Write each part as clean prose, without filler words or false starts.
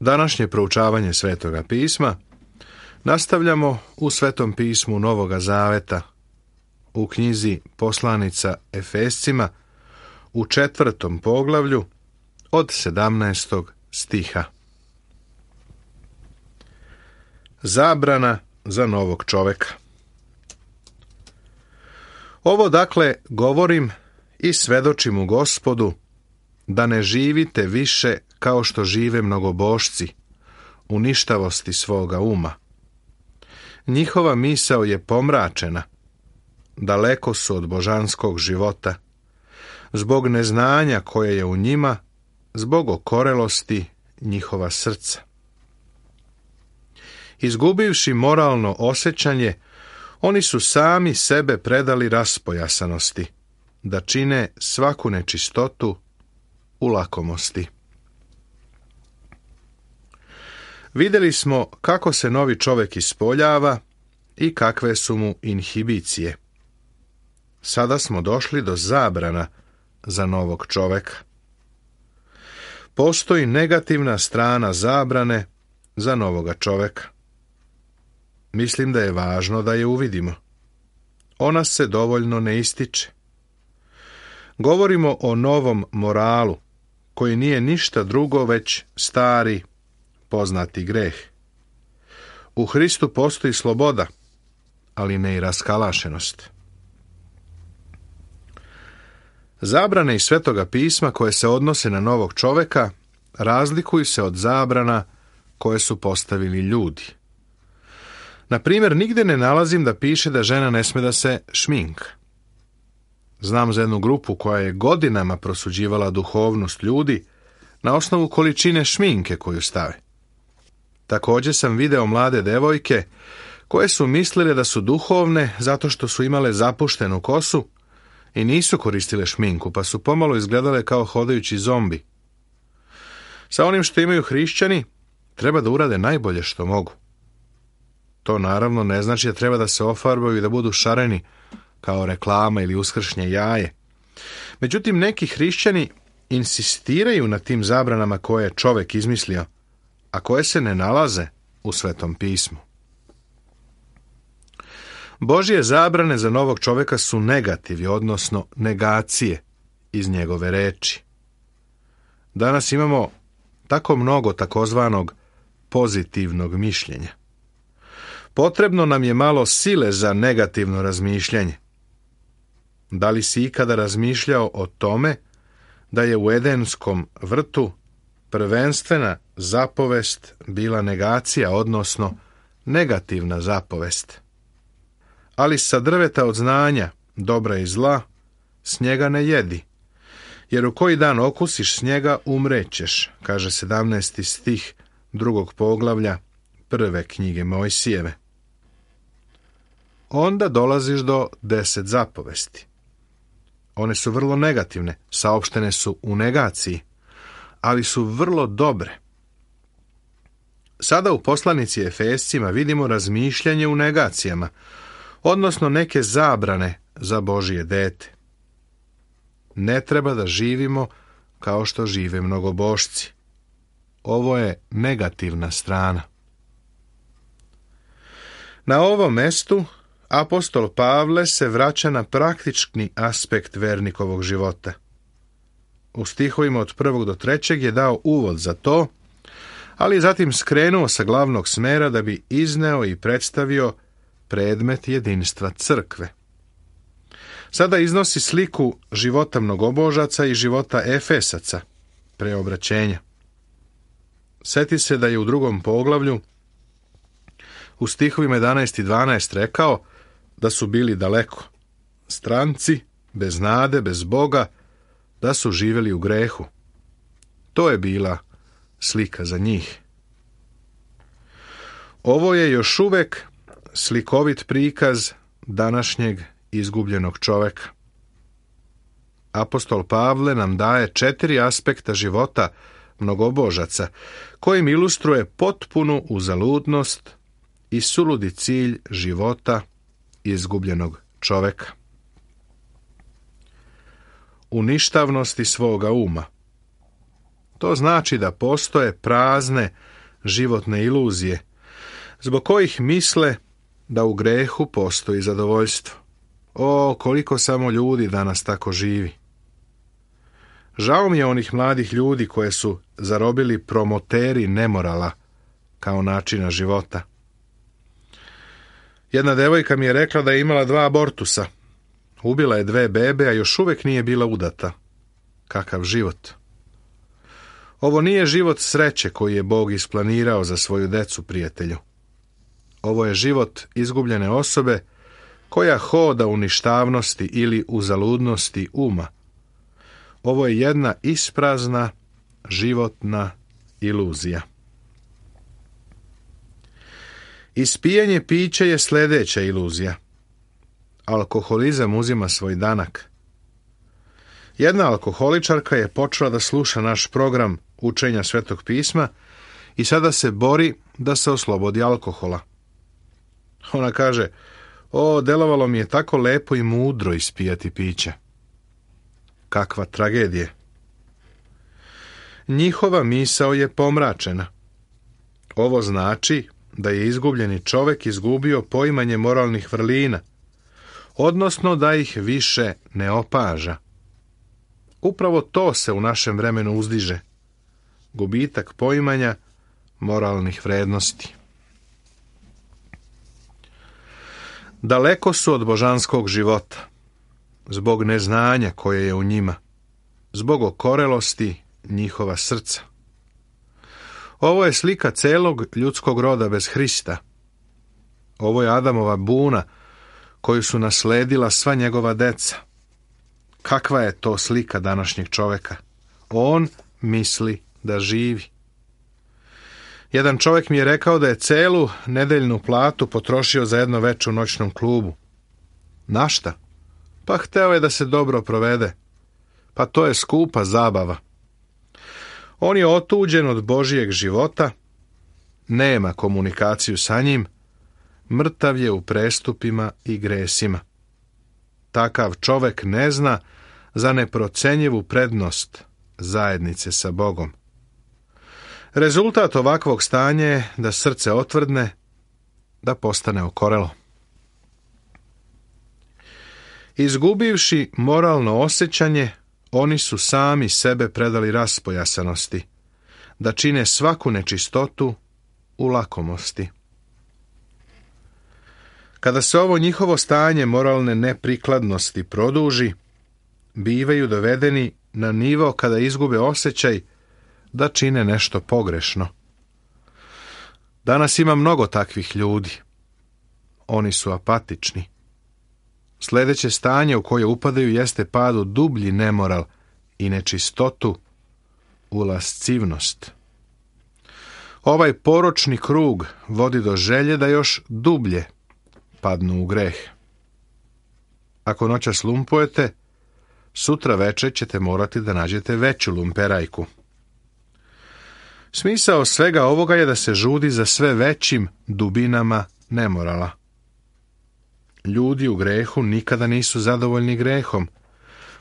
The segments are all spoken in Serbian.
Današnje proučavanje Svetoga pisma nastavljamo u Svetom pismu Novoga Zaveta, u knjizi Poslanica Efescima, u 4. poglavlju od 17. stiha. Zabrana za novog čoveka. Ovo dakle govorim i svedočim u Gospodu, da ne živite više kao što žive mnogobožci, u ništavosti svoga uma. Njihova misao je pomračena, daleko su od božanskog života, zbog neznanja koje je u njima, zbog okorelosti njihova srca. Izgubivši moralno osjećanje, oni su sami sebe predali raspojasanosti, da čine svaku nečistotu u lakomosti. Vidjeli smo kako se novi čovjek ispoljava i kakve su mu inhibicije. Sada smo došli do zabrana za novog čovjeka. Postoji negativna strana zabrane za novoga čovjeka. Mislim da je važno da je uvidimo. Ona se dovoljno ne ističe. Govorimo o novom moralu, koji nije ništa drugo već stari, poznati greh. U Hristu postoji sloboda, ali ne i raskalašenost. Zabrane iz Svetoga pisma koje se odnose na novog čovjeka razlikuju se od zabrana koje su postavili ljudi. Na primjer, nigdje ne nalazim da piše da žena ne sme da se šminka. Znam za jednu grupu koja je godinama prosuđivala duhovnost ljudi na osnovu količine šminke koju stave. Također sam video mlade devojke koje su mislile da su duhovne zato što su imale zapuštenu kosu i nisu koristile šminku, pa su pomalo izgledale kao hodajući zombi. Sa onim što imaju hrišćani, treba da urade najbolje što mogu. To naravno ne znači da treba da se ofarbaju i da budu šareni kao reklama ili uskršnje jaje. Međutim, neki hrišćani insistiraju na tim zabranama koje je čovjek izmislio, a koje se ne nalaze u Svetom pismu. Božje zabrane za novog čovjeka su negativi, odnosno negacije iz njegove reči. Danas imamo tako mnogo takozvanog pozitivnog mišljenja. Potrebno nam je malo sile za negativno razmišljanje. Da li si ikada razmišljao o tome da je u Edenskom vrtu prvenstvena zapovest bila negacija, odnosno negativna zapovest? Ali sa drveta od znanja, dobra i zla, s njega ne jedi, jer u koji dan okusiš s njega umrećeš, kaže 17. stih 2. poglavlja 1. knjige Mojsijeve. Onda dolaziš do 10 zapovesti. One su vrlo negativne, saopštene su u negaciji, ali su vrlo dobre. Sada u poslanici Efescima vidimo razmišljanje u negacijama, odnosno neke zabrane za Božje dete. Ne treba da živimo kao što žive mnogobožci. Ovo je negativna strana. Na ovom mestu apostol Pavle se vraća na praktični aspekt vernikovog života. U stihovima od 1. do 3. je dao uvod za to, ali je zatim skrenuo sa glavnog smera da bi izneo i predstavio predmet jedinstva crkve. Sada iznosi sliku života mnogobožaca i života Efesaca, preobraćenja. Sjeti se da je u 2. poglavlju u stihovima 11 i 12 rekao da su bili daleko, stranci, bez nade, bez Boga, da su živjeli u grehu. To je bila slika za njih. Ovo je još uvijek slikovit prikaz današnjeg izgubljenog čovjeka. Apostol Pavle nam daje 4 aspekta života mnogobožaca, kojim ilustruje potpunu uzaludnost i suludi cilj života izgubljenog čovjeka. U ništavnosti svoga uma. To znači da postoje prazne životne iluzije, zbog kojih misle da u grehu postoji zadovoljstvo. O, koliko samo ljudi danas tako živi. Žao mi je onih mladih ljudi koje su zarobili promoteri nemorala kao načina života. Jedna devojka mi je rekla da je imala 2 abortusa. Ubila je 2 bebe, a još uvijek nije bila udata. Kakav život! Ovo nije život sreće koji je Bog isplanirao za svoju decu, prijatelju. Ovo je život izgubljene osobe koja hoda u ništavnosti ili u zaludnosti uma. Ovo je jedna isprazna životna iluzija. Ispijanje pića je sljedeća iluzija. Alkoholizam uzima svoj danak. Jedna alkoholičarka je počela da sluša naš program učenja Svetog pisma i sada se bori da se oslobodi alkohola. Ona kaže, delovalo mi je tako lepo i mudro ispijati piće. Kakva tragedija. Njihova misao je pomračena. Ovo znači da je izgubljeni čovjek izgubio poimanje moralnih vrlina, odnosno da ih više ne opaža. Upravo to se u našem vremenu uzdiže. Gubitak poimanja moralnih vrednosti. Daleko su od božanskog života, zbog neznanja koje je u njima, zbog okorelosti njihova srca. Ovo je slika celog ljudskog roda bez Hrista. Ovo je Adamova buna koju su nasledila sva njegova deca. Kakva je to slika današnjeg čovjeka? On misli da živi. Jedan čovjek mi je rekao da je celu nedeljnu platu potrošio za jedno veče u noćnom klubu. Na šta? Pa hteo je da se dobro provede. Pa to je skupa zabava. On je otuđen od Božijeg života, nema komunikaciju sa njim, mrtav je u prestupima i gresima. Takav čovjek ne zna za neprocenjivu prednost zajednice sa Bogom. Rezultat ovakvog stanja je da srce otvrdne, da postane okorelo. Izgubivši moralno osjećanje, oni su sami sebe predali raspojasanosti, da čine svaku nečistotu u lakomosti. Kada se ovo njihovo stanje moralne neprikladnosti produži, bivaju dovedeni na nivo kada izgube osjećaj da čine nešto pogrešno. Danas ima mnogo takvih ljudi. Oni su apatični. Sljedeće stanje u koje upadaju jeste pad u dublji nemoral i nečistotu, u lascivnost. Ovaj poročni krug vodi do želje da još dublje padnu u greh. Ako noćas lumpujete, sutra večer ćete morati da nađete veću lumperajku. Smisao svega ovoga je da se žudi za sve većim dubinama nemorala. Ljudi u grehu nikada nisu zadovoljni grehom.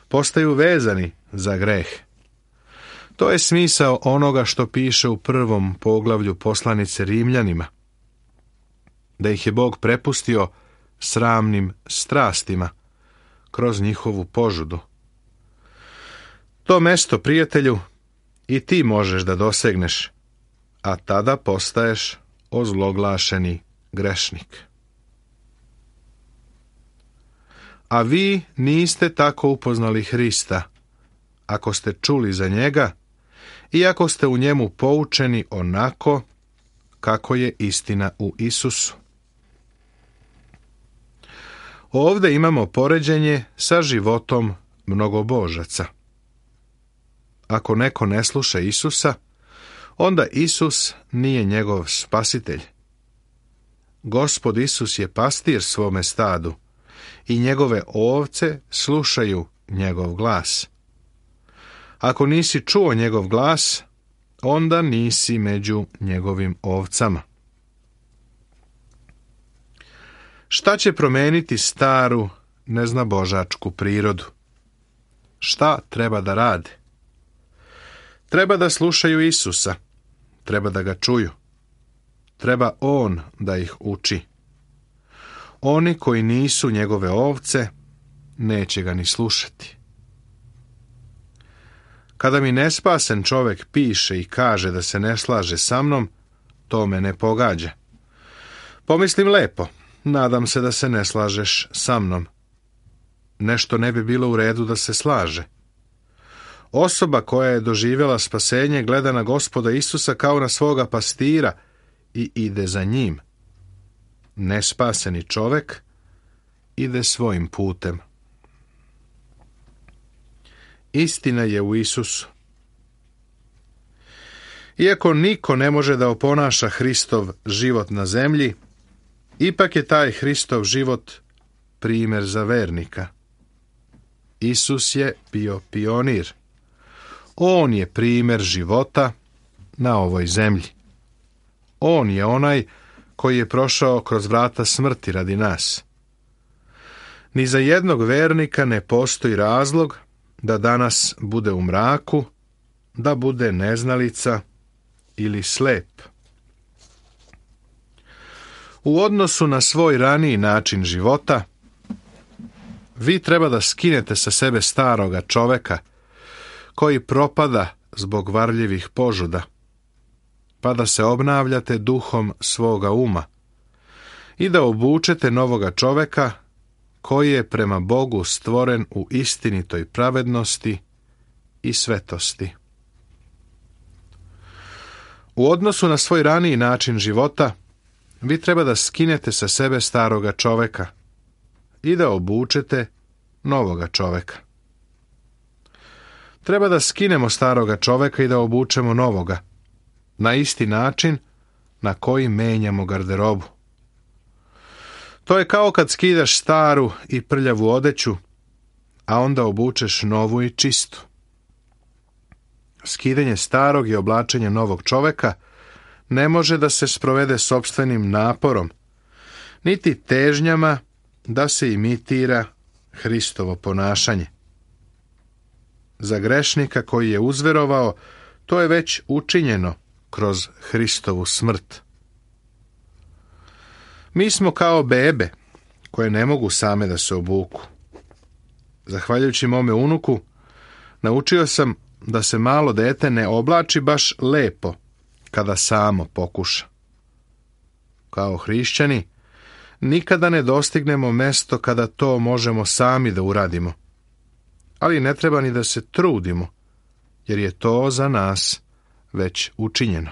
Postaju vezani za greh. To je smisao onoga što piše u 1. poglavlju poslanice Rimljanima. Da ih je Bog prepustio sramnim strastima kroz njihovu požudu. To mesto, prijatelju, i ti možeš da dosegneš, a tada postaješ ozloglašeni grešnik. A vi niste tako upoznali Hrista, ako ste čuli za njega i ako ste u njemu poučeni onako kako je istina u Isusu. Ovdje imamo poređenje sa životom mnogobožaca. Ako neko ne sluša Isusa, onda Isus nije njegov spasitelj. Gospod Isus je pastir svome stadu i njegove ovce slušaju njegov glas. Ako nisi čuo njegov glas, onda nisi među njegovim ovcama. Šta će promeniti staru, neznabožačku prirodu? Šta treba da rade? Treba da slušaju Isusa, treba da ga čuju, treba on da ih uči. Oni koji nisu njegove ovce, neće ga ni slušati. Kada mi nespasen čovjek piše i kaže da se ne slaže sa mnom, to me ne pogađa. Pomislim lepo, nadam se da se ne slažeš sa mnom. Nešto ne bi bilo u redu da se slaže. Osoba koja je doživjela spasenje gleda na Gospoda Isusa kao na svoga pastira i ide za njim. Nespaseni čovjek ide svojim putem. Istina je u Isusu. Iako niko ne može da oponaša Hristov život na zemlji, ipak je taj Hristov život primjer za vernika. Isus je bio pionir. On je primjer života na ovoj zemlji. On je onaj koji je prošao kroz vrata smrti radi nas. Ni za jednog vernika ne postoji razlog da danas bude u mraku, da bude neznalica ili slep. U odnosu na svoj raniji način života, vi treba da skinete sa sebe staroga čoveka koji propada zbog varljivih požuda, pa da se obnavljate duhom svoga uma i da obučete novoga čoveka koji je prema Bogu stvoren u istinitoj pravednosti i svetosti. U odnosu na svoj raniji način života, vi treba da skinete sa sebe staroga čoveka i da obučete novoga čoveka. Treba da skinemo staroga čoveka i da obučemo novoga, na isti način na koji menjamo garderobu. To je kao kad skidaš staru i prljavu odeću, a onda obučeš novu i čistu. Skidanje starog i oblačenje novog čoveka ne može da se sprovede sopstvenim naporom, niti težnjama da se imitira Hristovo ponašanje. Za grešnika koji je uzverovao, to je već učinjeno kroz Hristovu smrt. Mi smo kao bebe, koje ne mogu same da se obuku. Zahvaljujući mome unuku, naučio sam da se malo dete ne oblači baš lepo kada samo pokuša. Kao hrišćani, nikada ne dostignemo mesto kada to možemo sami da uradimo. Ali ne treba ni da se trudimo, jer je to za nas već učinjeno.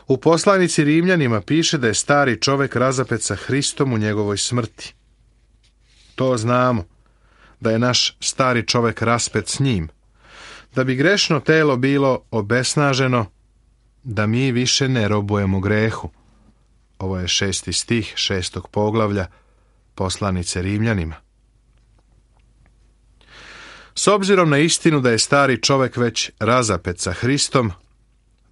U poslanici Rimljanima piše da je stari čovjek razapet sa Hristom u njegovoj smrti. To znamo, da je naš stari čovjek raspet s njim, da bi grešno telo bilo obesnaženo, da mi više ne robujemo grehu. Ovo je 6. stih 6. poglavlja poslanice Rimljanima. S obzirom na istinu da je stari čovjek već razapet sa Hristom,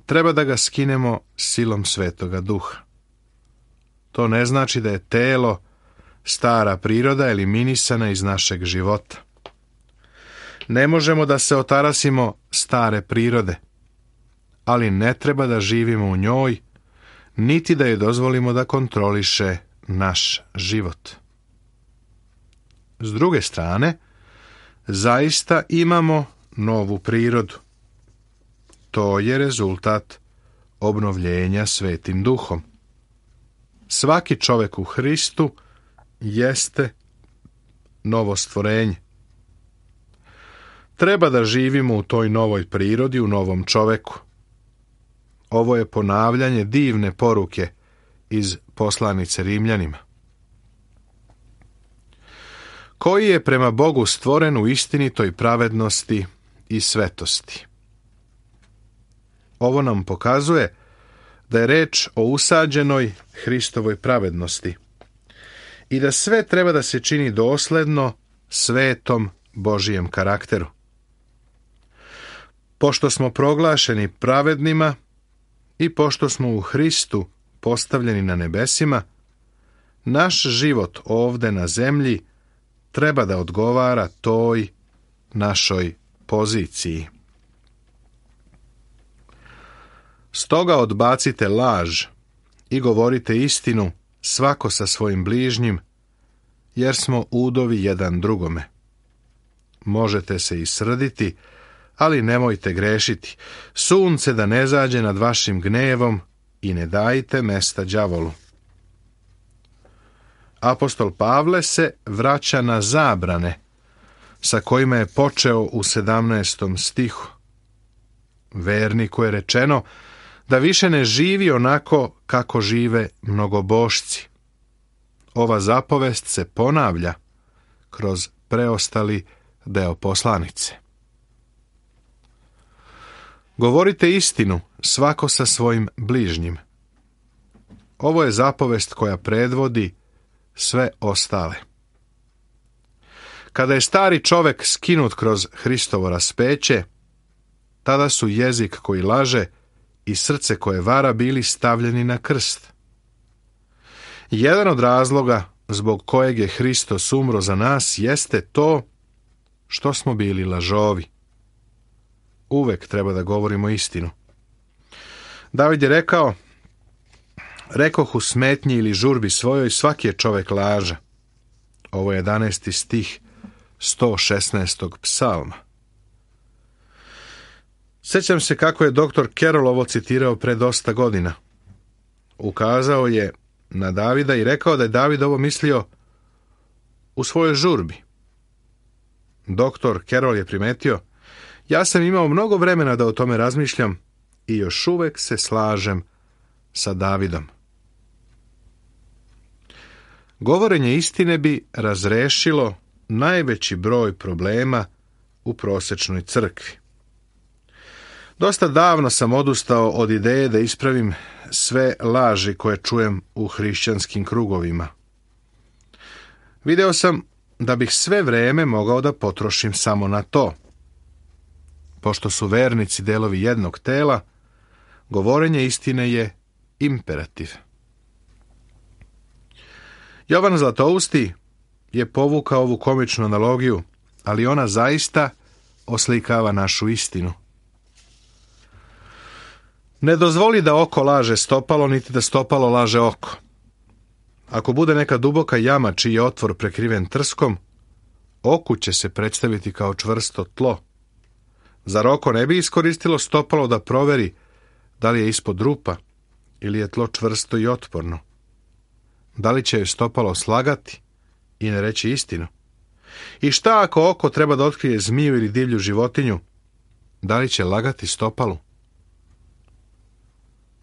treba da ga skinemo silom Svetoga Duha. To ne znači da je telo, stara priroda eliminisana iz našeg života. Ne možemo da se otarasimo stare prirode, ali ne treba da živimo u njoj, niti da je dozvolimo da kontroliše naš život. S druge strane, zaista imamo novu prirodu. To je rezultat obnovljenja Svetim Duhom. Svaki čovjek u Hristu jeste novo stvorenje. Treba da živimo u toj novoj prirodi, u novom čovjeku. Ovo je ponavljanje divne poruke iz poslanice Rimljanima. Koji je prema Bogu stvoren u istinitoj pravednosti i svetosti. Ovo nam pokazuje da je reč o usađenoj Hristovoj pravednosti i da sve treba da se čini dosledno svetom Božijem karakteru. Pošto smo proglašeni pravednima i pošto smo u Hristu postavljeni na nebesima, naš život ovde na zemlji treba da odgovara toj našoj poziciji. Stoga odbacite laž i govorite istinu, svako sa svojim bližnjim, jer smo udovi jedan drugome. Možete se i srditi, ali nemojte grešiti. Sunce da ne zađe nad vašim gnevom i ne dajte mesta đavolu. Apostol Pavle se vraća na zabrane sa kojima je počeo u 17. stihu. Verniku je rečeno da više ne živi onako kako žive mnogobošci. Ova zapovest se ponavlja kroz preostali deo poslanice. Govorite istinu, svako sa svojim bližnjim. Ovo je zapovest koja predvodi sve ostale. Kada je stari čovek skinut kroz Hristovo raspeće, tada su jezik koji laže i srce koje vara bili stavljeni na krst. Jedan od razloga zbog kojeg je Hristos umro za nas jeste to što smo bili lažovi. Uvek treba da govorimo istinu. David je rekao: rekoh u smetnji ili žurbi svojoj, svaki je čovek laža. Ovo je 11. stih 116. psalma. Sjećam se kako je dr. Carroll ovo citirao pre dosta godina. Ukazao je na Davida i rekao da je David ovo mislio u svojoj žurbi. Dr. Carroll je primetio: ja sam imao mnogo vremena da o tome razmišljam i još uvek se slažem sa Davidom. Govorenje istine bi razrešilo najveći broj problema u prosečnoj crkvi. Dosta davno sam odustao od ideje da ispravim sve laži koje čujem u hrišćanskim krugovima. Video sam da bih sve vreme mogao da potrošim samo na to. Pošto su vernici delovi jednog tela, govorenje istine je imperativ. Jovan Zlatousti je povukao ovu komičnu analogiju, ali ona zaista oslikava našu istinu. Ne dozvoli da oko laže stopalo, niti da stopalo laže oko. Ako bude neka duboka jama čiji je otvor prekriven trskom, oku će se predstaviti kao čvrsto tlo. Zar oko ne bi iskoristilo stopalo da proveri da li je ispod rupa ili je tlo čvrsto i otporno? Da li će joj stopalo slagati i ne reći istinu? I šta ako oko treba da otkrije zmiju ili divlju životinju? Da li će lagati stopalu?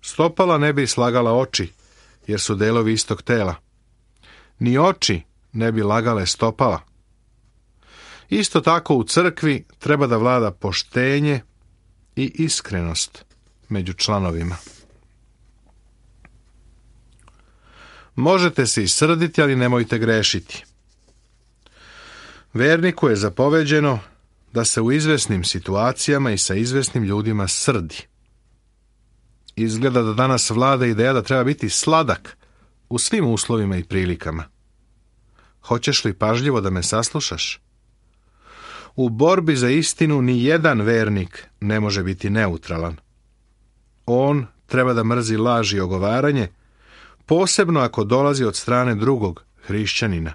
Stopala ne bi slagala oči, jer su delovi istog tela. Ni oči ne bi lagale stopala. Isto tako u crkvi treba da vlada poštenje i iskrenost među članovima. Možete se i srditi, ali nemojte grešiti. Verniku je zapoveđeno da se u izvesnim situacijama i sa izvesnim ljudima srdi. Izgleda da danas vlada ideja da treba biti sladak u svim uslovima i prilikama. Hoćeš li pažljivo da me saslušaš? U borbi za istinu ni jedan vernik ne može biti neutralan. On treba da mrzi laž i ogovaranje, posebno ako dolazi od strane drugog hrišćanina.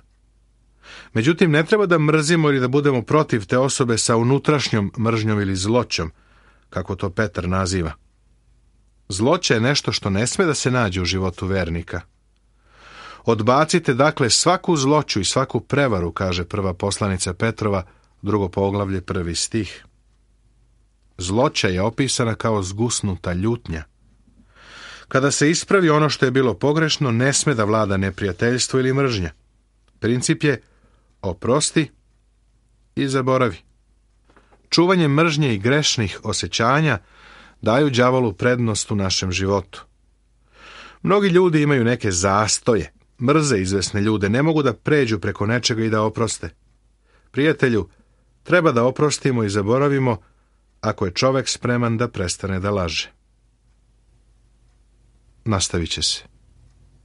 Međutim, ne treba da mrzimo ili da budemo protiv te osobe sa unutrašnjom mržnjom ili zloćom, kako to Petar naziva. Zloća je nešto što ne sme da se nađe u životu vernika. Odbacite dakle svaku zloću i svaku prevaru, kaže prva poslanica Petrova, 2. poglavlje, 1. stih. Zloća je opisana kao zgusnuta ljutnja. Kada se ispravi ono što je bilo pogrešno, ne sme da vlada neprijateljstvo ili mržnja. Princip je oprosti i zaboravi. Čuvanje mržnje i grešnih osjećanja daju đavolu prednost u našem životu. Mnogi ljudi imaju neke zastoje, mrze izvesne ljude, ne mogu da pređu preko nečega i da oproste. Prijatelju, treba da oprostimo i zaboravimo ako je čovek spreman da prestane da laže. Nastavit će se.